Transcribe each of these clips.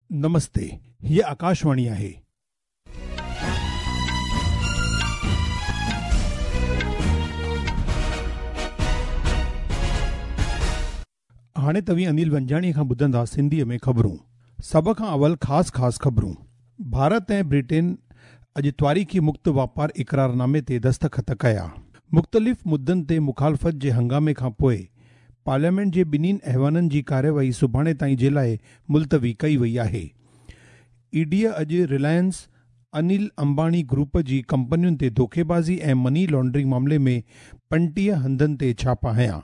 نمستي، هيء آڪاشواڻي آهي. هاڻي توهين انيل ونجاڻي کان ٻڌندا سنڌيء ۾ خبرون. سڀ کان اول خاص خاص خبرون. ڀارت ۽ برٽين اڄ تواريخي مڪت واپار اقرارنامي تي دستخط ڪيا. مختلف مدن تي مخالفت جي هنگامي کان پوء پارليامينٽ جي ٻنهين ايوانن جي ڪارروائي سڀاڻي تائين جي لاء ملتوي ڪئي وئي آهي. اي ڊي اڄ رلائنس انيل امباڻي گروپ جي ڪمپنين تي دوکيبازي ۽ مني لانڊرنگ معاملي ۾ 35 هنڌن تي ڇاپا هنيا.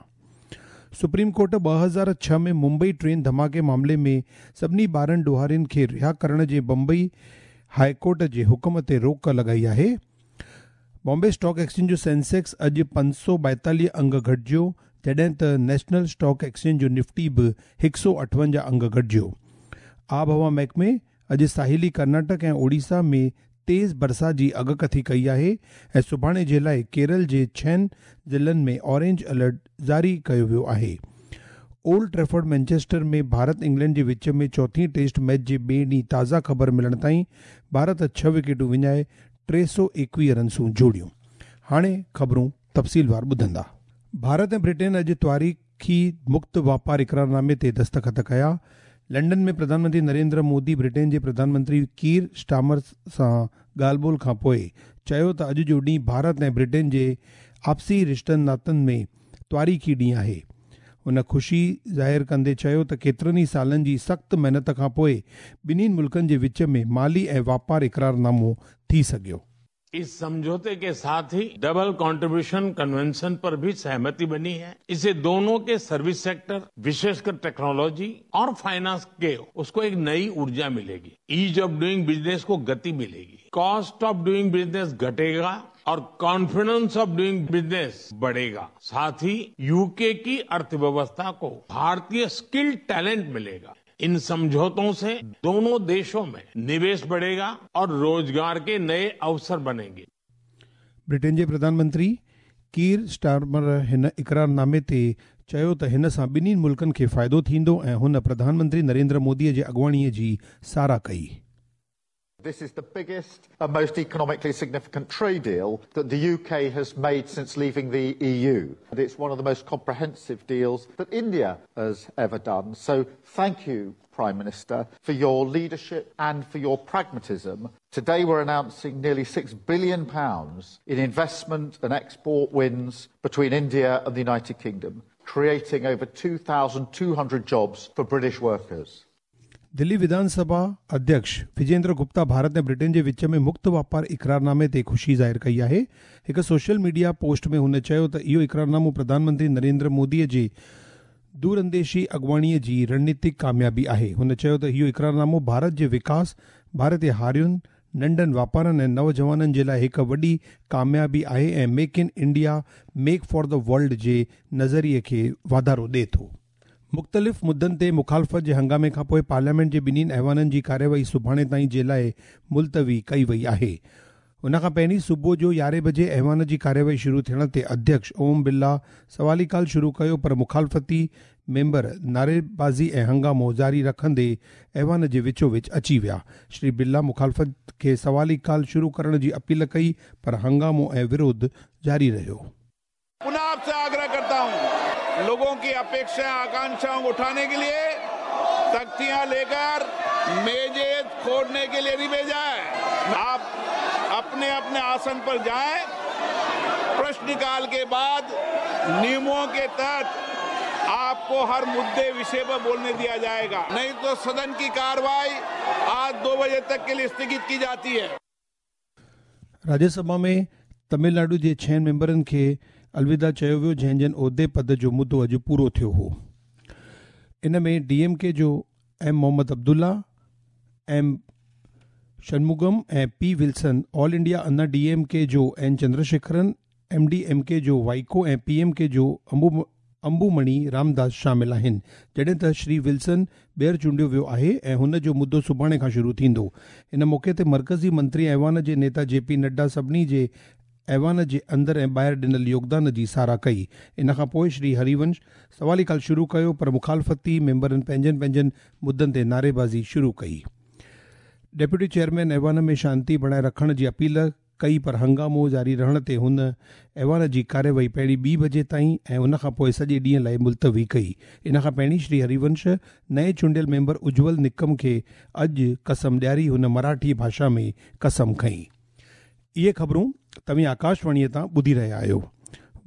سپريم ڪورٽ 2006 ۾ ممبئي ٽرين ڌماڪي معاملي ۾ سڀني 12 ڏوهارين کي رها ڪرڻ جي بمبئي هاء ڪورٽ جي حڪم تي روڪ لڳائي آهي. بامبي اسٽاڪ ايڪسچينج جو سينسيڪس اڄ 542 انگ گهٽجيو، جڏهن ته نيشنل اسٽاڪ ايڪسچينج جو نفٽي به 158 انگ گهٽجيو. آبهوا محڪمي اڄ ساحلي ڪرناٽڪ ۽ اوڙيسا ۾ تيز برسات جي اڳڪٿي ڪئي آهي ۽ سڀاڻي جي لاء ڪيرل جي ڇهن ضلعن ۾ اورينج الرٽ جاري ڪيو ويو آهي. اولڊ ٽريفورڊ مينچسٽر ۾ ڀارت انگلينڊ جي وچ ۾ چوٿين ٽيسٽ ميچ جي ٻئي ڏينهن تازا خبر ملڻ تائين ڀارت 6 وڪيٽون وڃائي 321 رنسون جوڙيون. هاڻي خبرون تفصيلوار ٻڌندا. ڀارت ۽ برٽين اڄ تواريخي مڪت واپار اقرارنامي تي دستخط ڪيا. لنڊن ۾ پرڌان منتري نريندر مودي برٽين جي پرڌان منتري ڪير اسٽارمر سان ڳالهه ٻولهه کان پوء چيو ته اڄ جو ڏينهن ڀارت ۽ برٽين جي آپسي رشتن ناتن ۾ تواريخي ڏينهن آهي. هن خوشي ظاهر ڪندي چيو ته ڪيترن ئي سالن جي سخت محنت کان پوء ٻنهين ملڪن جي وچ ۾ مالي ۽ واپار اقرارنامو ٿي سگهيو. इस समझौते के साथ ही डबल कंट्रीब्यूशन कन्वेंशन पर भी सहमति बनी है। इससे दोनों के सर्विस सेक्टर, विशेषकर टेक्नोलॉजी और फाइनेंस के उसको एक नई ऊर्जा मिलेगी। ईज ऑफ डूइंग बिजनेस को गति मिलेगी, कॉस्ट ऑफ डूइंग बिजनेस घटेगा और कॉन्फिडेंस ऑफ डूइंग बिजनेस बढ़ेगा। साथ ही यूके की अर्थव्यवस्था को भारतीय स्किल टैलेंट मिलेगा। इन समझौतों से दोनों देशों में निवेश बढ़ेगा और रोजगार के नए अवसर बनेंगे। ब्रिटेन जे प्रधानमंत्री कीर स्टारमर हिन इकरारनामे ते चयो त हिन सां ॿिन्हिनि मुल्कनि खे फ़ाइदो थींदो ऐं हुन प्रधानमंत्री नरेंद्र मोदीअ जे अॻुवाणीअ जी साराह कई। This is the biggest and most economically significant trade deal that the UK has made since leaving the EU. And it's one of the most comprehensive deals that India has ever done. So thank you, Prime Minister, for your leadership and for your pragmatism. Today we're announcing nearly £6 billion in investment and export wins between India and the United Kingdom, creating over 2,200 jobs for British workers. Delhi विधानसभा अध्यक्ष विजेंद्र गुप्ता भारत ऐं Britain जे विच में मुक्त वापार इकरारनामे ते ख़ुशी ज़ाहिर कई आहे। हिकु सोशल मीडिया पोस्ट में हुन चयो त इहो इकरारनामो प्रधानमंत्री नरेंद्र मोदीअ जे दूरंदेशी अॻुवाणीअ जी रणनीतिक कामयाबी आहे। हुन चयो त इहो इकरारनामो भारत जे विकास, भारत जे हारियुनि, नंढनि वापारनि ऐं नौजवाननि जे लाइ हिकु वॾी कामयाबी आहे ऐं make in India make for the world जे नज़रिए खे वाधारो ॾिए थो। मुख़्तलिफ़ मुद्दनि ते मुखालफ़त जे हंगामे खां पोइ पार्लियामेंट जे ॿिन्हिनि ऐवाननि जी कार्यवाही सुभाणे ताईं जे लाइ मुलतवी कई वई आहे। उन खां पहिरीं सुबुह जो 11 बजे ऐवान जी कार्यवाही शुरू थियण ते अध्यक्ष ओम बिरला सवाली काल शुरू कयो, पर मुखालफ़ती मेंबर नारेबाज़ी ऐं हंगामो जारी रखंदे ऐवान जे विचो विच अची विया। श्री बिरला मुखालफ़त खे सवाली काल शुरू करण जी अपील कई, पर हंगामो ऐं विरोध जारी रहियो। पुनः आपसे आग्रह करता हूं, लोगों की अपेक्षाएं आकांक्षाओं को उठाने के लिए तख्तियां लेकर मेजे खोड़ने के लिए नहीं भेजा है। आप अपने अपने आसन पर जाएं। प्रश्नकाल के बाद नियमों के तहत आपको हर मुद्दे विषय पर बोलने दिया जाएगा, नहीं तो सदन की कार्रवाई आज 2 बजे तक के लिए स्थगित की जाती है। राज्यसभा में तमिलनाडु जे 6 मेंबरनि खे अलविदा चयो वियो, जंहिं जन उहिदे पद जो मुदो अॼु पूरो थियो हो। इन में डीएमके जो M Mohammad Abdullah, M Shanmugam ऐं P Wilson, all India Anna DMK जो एन चंद्रशेखरन, एमडीएमके जो वाइको ऐं पीएमके जो अंबुमणि रामदास शामिल आहिनि। जॾहिं त श्री विल्सन ॿीहर चूंडियो वियो आहे ऐं हुन जो मुदो सुभाणे खां शुरू थींदो। इन मौक़े ते मर्कज़ी मंत्री ऐवान जे नेता जेपी नड्डा सभिनी जे ऐवान जे अंदरि ऐं ॿाहिरि ॾिनल योगदान जी साराह कई। इन खां पोइ श्री हरिवंश सवाली काल शुरू कयो, पर मुखालफ़ती मेंबरनि पंहिंजनि पंहिंजनि मुद्दनि ते नारेबाज़ी शुरू कई। ڊپٽي چيئرمين ايوان ۾ شانتي بڻائي رکڻ جي اپيل ڪئي پر هنگامو جاري رهڻ تي هن ايوان جي ڪارروائي پهرين ٻي بجي تائين ۽ ان کان پوء سڄي ڏينهن لاء ملتوي ڪئي. ان کان پهرين شري هريونش نئين چونڊيل ميمبر اجول نڪم کي اڄ قسم ڏياري هن مراٺي ڀاشا ۾ قسم کنئي. اهي خبرون توهين آڪاشواڻيء تان ٻڌي رهيا آهيو.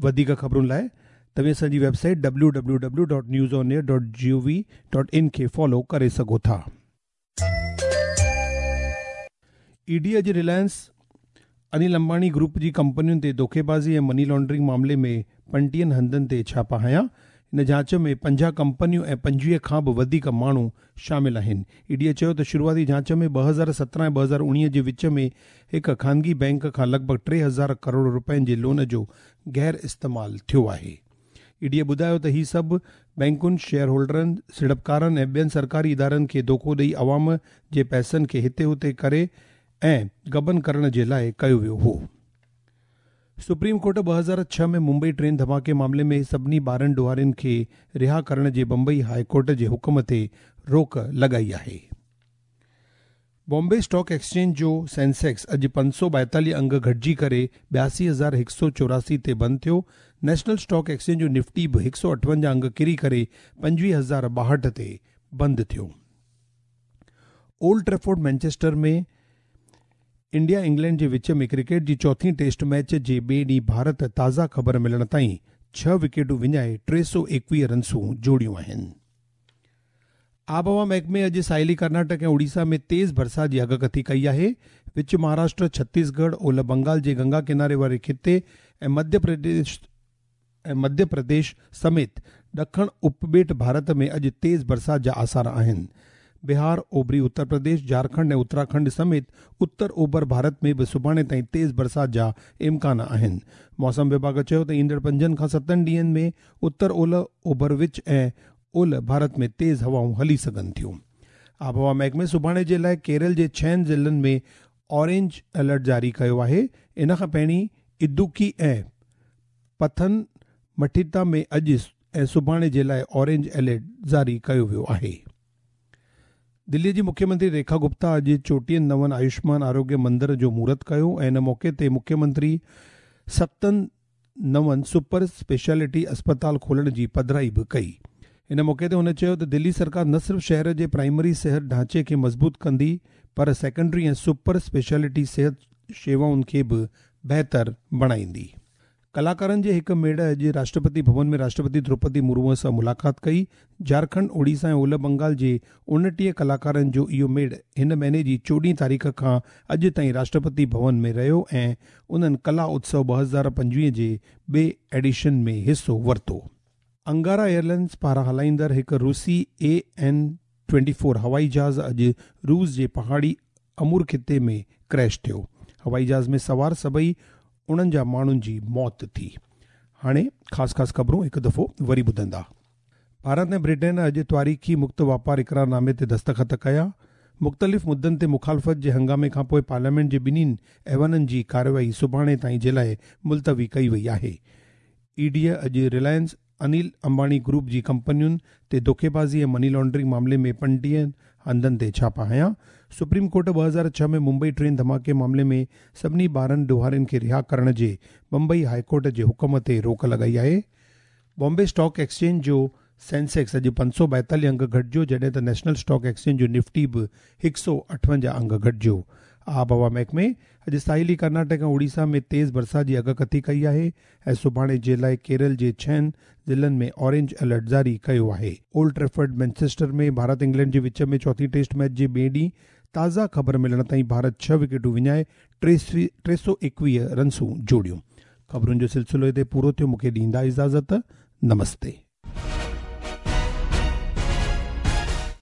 وڌيڪ خبرن لاء توهين اسان جي website W W W dot news on air dot G O V dot in کي فالو ڪري سگهو ٿا. اي ڊي اڄ رلائنس انيل امباڻي گروپ جي ڪمپنين تي دوکيبازي ۽ مني لانڊرنگ معاملي ۾ 35 هنڌن تي ڇاپا هنيا. هن جاچ ۾ 50 ڪمپنيون ۽ 25 کان به وڌيڪ ماڻهو شامل آهن. اي ڊي چيو ته شروعاتي جاچ ۾ 2017 ۽ 2019 جي وچ ۾ هڪ خانگي بئنڪ کان لڳ ڀڳ 3000 ڪروڙ رپين جي لون جو غير استعمال ٿيو آهي. اي ڊي ٻڌايو ته هي سڀ بئنڪن، شيئر هولڊرن، سيڙپڪارن ۽ ٻين سرڪاري ادارن کي دوکو ڏئي عوام جي پئسن کي هتي هتي ڪري ۽ غبن ڪرڻ جي لاء ڪيو ويو هو. سپريم ڪورٽ 2006 ۾ ممبئي ٽرين ڌماڪي معاملي ۾ سڀني 12 ڏوهارين کي رها ڪرڻ جي بمبئي هاء ڪورٽ جي حڪم تي روڪ لڳائي آهي. بامبي اسٽاڪ ايڪسچينج جو سينسيڪس اڄ 542 انگ گهٽجي ڪري 82,184 تي بند ٿيو. نيشنل اسٽاڪ ايڪسچينج جو نفٽي به 158 انگ ڪري ڪري 25,062 تي بند ٿيو. اولڊ ٽريفورڊ مينچسٽر ۾ انڊيا انگلينڊ جي وچ ۾ ڪرڪيٽ جي چوٿين ٽيسٽ ميچ جي ٻئي ڏينهن ڀارت تازا خبر ملڻ تائين 6 وڪيٽون وڃائي 321 رنسون جوڙيون آهن. آبهوا محڪمي اڄ ساحلي ڪرناٽڪ ۽ اوڙيسا ۾ تيز برسات جي اڳڪٿي ڪئي آهي. وچ مهاراشٽر، ڇتيسڳڙهه، اولهه بنگال جي گنگا ڪناري واري خطي ۽ مڌيه پرديش سميت ڏکڻ اپٻيٽ ڀارت ۾ اڄ تيز برسات جا آثار آهن. بهار، اوڀري اتر پرديش، جهارکنڊ ۽ اتراکنڊ سميت اتر اوڀر ڀارت ۾ به سڀاڻي تائين تيز برسات جا امڪان آهن. موسم وڀاڳ چيو ته ايندڙ 5 کان 7 ڏينهن ۾ اتر اولهه، اوڀر وچ ۽ اولهه ڀارت ۾ تيز هوائون هلي سگهن ٿيون. آبهوا محڪمي سڀاڻي جي لاء ڪيرل جي 6 ضلعن ۾ اورينج الرٽ جاري ڪيو آهي. ان کان پهرين ادوڪي ۽ پٿن مٺيتا ۾ اڄ ۽ سڀاڻي جي لاء اورينج الرٽ جاري ڪيو ويو آهي. دلي جي مکيه منتري ريکا گپتا اڄ 34 نون آيوشمان آروگيه مندر جو مهورت ڪيو ۽ ان موقعي تي مکيه منتري 7 نون سپر اسپيشلٽي اسپتال کولڻ جي پڌرائي به ڪئي. ان موقعي تي هن چيو ته دلي سرڪار نه صرف شهر جي پرائمري صحت ڍانچي کي مضبوط ڪندي پر سيڪنڊري ۽ سپر اسپيشلٽي صحت شيوائن کي به بهتر بڻائيندي. ڪلاڪارن جي هڪ ميڙ اڄ راشٽرپتي ڀون ۾ راشٽرپتي دروپدي مرمو سان ملاقات ڪئي. جهارکنڊ، اوڙيسا ۽ اولهه بنگال جي 29 ڪلاڪارن جو اهو ميڙ هن مهيني جي 14 تاريخ کان اڄ تائين راشٽرپتي ڀون ۾ رهيو ۽ انهن ڪلا اتسو 2025 جي ٻئي ايڊيشن ۾ حصو ورتو. انگارا ايئرلائنز پاران هلائيندڙ هڪ روسي اي اين 24 هوائي جهاز اڄ روس جي پهاڙي امور خطي ۾ ڪريش ٿيو. هوائي جهاز ۾ سوار سڀئي 49 ماڻهن جي موت ٿي. هاڻي خاص خاص خبرون هڪ دفعو وري ٻڌندا. ڀارت ۽ برٽين اڄ تواريخي مڪت واپار اقرارنامي تي دستخط ڪيا. مختلف مدن تي مخالفت جي هنگامي کانپوء پارليامينٽ جي ٻنهي ايوانن جي ڪارروائي سڀاڻي تائين جي لاء ملتوي ڪئي وئي آهي. اي ڊي اڄ رلائنس انيل امباڻي گروپ جي ڪمپنين تي دوکيبازي ۽ مني لانڊرنگ معاملي ۾ 35 هنڌن تي ڇاپا هنيا. سپريم ڪورٽ 2006 ۾ ممبئي ٽرين ڌماڪي معاملي ۾ سڀني 12 ڏوهارين کي رها ڪرڻ جي بمبئي هاء ڪورٽ جي حڪم تي روڪ لڳائي آهي. بامبي اسٽاڪ ايڪسچينج جو سينسيڪس اڄ 542 انگ گهٽجيو جڏهن ته نيشنل اسٽاڪ ايڪسچينج جو نفٽي به 158 انگ گهٽجيو. آبهوا محڪمي اڄ ساحلي ڪرناٽڪ ۽ اوڙيسا ۾ تيز برسات جي اڳڪٿي ڪئي آهي ۽ سڀاڻي جي لاء ڪيرل جي 6 ضلعن ۾ اورينج الرٽ جاري ڪيو آهي. اولڊ ٽريفرڊ مينچسٽر ۾ ڀارت انگلينڊ جي وچ ۾ چوٿين ٽيسٽ ميچ جي ٻئي ڏينهن تازا خبر ملڻ تائين ڀارت 6 وڪيٽون وڃائي 321 رنسون جوڙيون. خبرن جو سلسلو هتي پورو ٿيو. مون کي ڏيندا اجازت. نمستي.